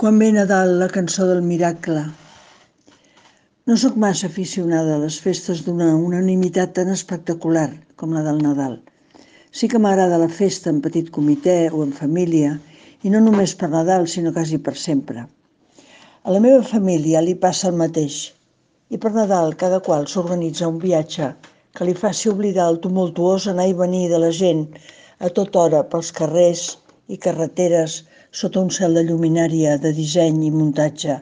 Quan ve Nadal, la cançó del miracle. No sóc massa aficionada a les festes d'una unanimitat tan espectacular com la del Nadal. Sí que m'agrada la festa en petit comitè o en família, i no només per Nadal, sinó quasi per sempre. A la meva família li passa el mateix, i per Nadal cada qual s'organitza un viatge que li faci oblidar el tumultuós anar i venir de la gent a tota hora pels carrers i carreteres sota un cel de lluminària de disseny i muntatge,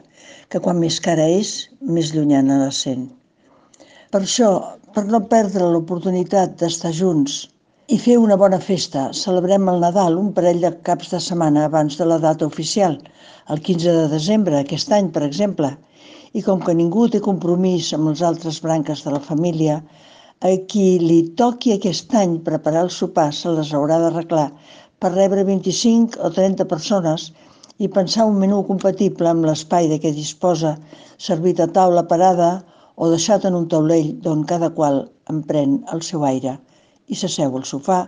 que quan més cara és, més llunyana la sent. Per això, per no perdre l'oportunitat d'estar junts i fer una bona festa, celebrem el Nadal un parell de caps de setmana abans de la data oficial, el 15 de desembre, aquest any, per exemple. I com que ningú té compromís amb les altres branques de la família, a qui li toqui aquest any preparar el sopar se les haurà d'arreglar per rebre 25 o 30 persones i pensar un menú compatible amb l'espai de què disposa, servit a taula parada o deixat en un taulell d'on cada qual emprèn el seu aire i s'asseu al sofà,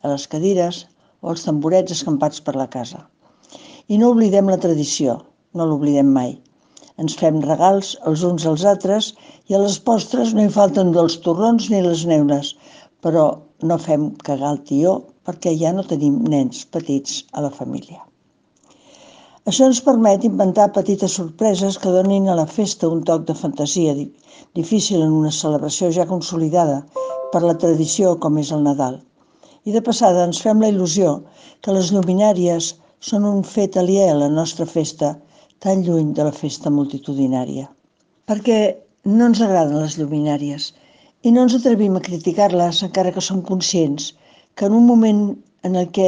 a les cadires o als tamborets escampats per la casa. I no oblidem la tradició, no l'oblidem mai. Ens fem regals els uns als altres i a les postres no hi falten els torrons ni les neules, però no fem cagar el tió perquè ja no tenim nens petits a la família. Això ens permet inventar petites sorpreses que donin a la festa un toc de fantasia difícil en una celebració ja consolidada per la tradició com és el Nadal. I de passada ens fem la il·lusió que les lluminàries són un fet aliè a la nostra festa, tan lluny de la festa multitudinària. Perquè no ens agraden les lluminàries i no ens atrevim a criticar-les encara que som conscients que en un moment en el què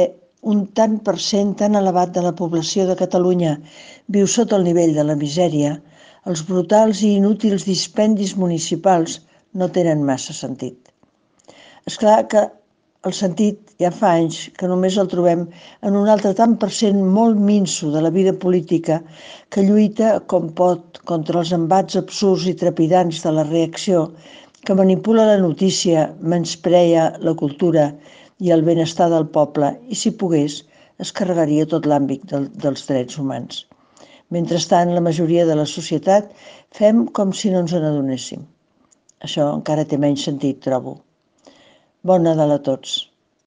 un tant per cent tan elevat de la població de Catalunya viu sota el nivell de la misèria, els brutals i inútils dispendis municipals no tenen massa sentit. És clar que el sentit ja fa anys que només el trobem en un altre tant per cent molt minso de la vida política que lluita com pot contra els embats absurds i trepidants de la reacció, que manipula la notícia, menysprea la cultura i el benestar del poble i, si pogués, es carregaria tot l'àmbit dels drets humans. Mentrestant, la majoria de la societat fem com si no ens n'adonéssim. Això encara té menys sentit, trobo. Bon Nadal a tots.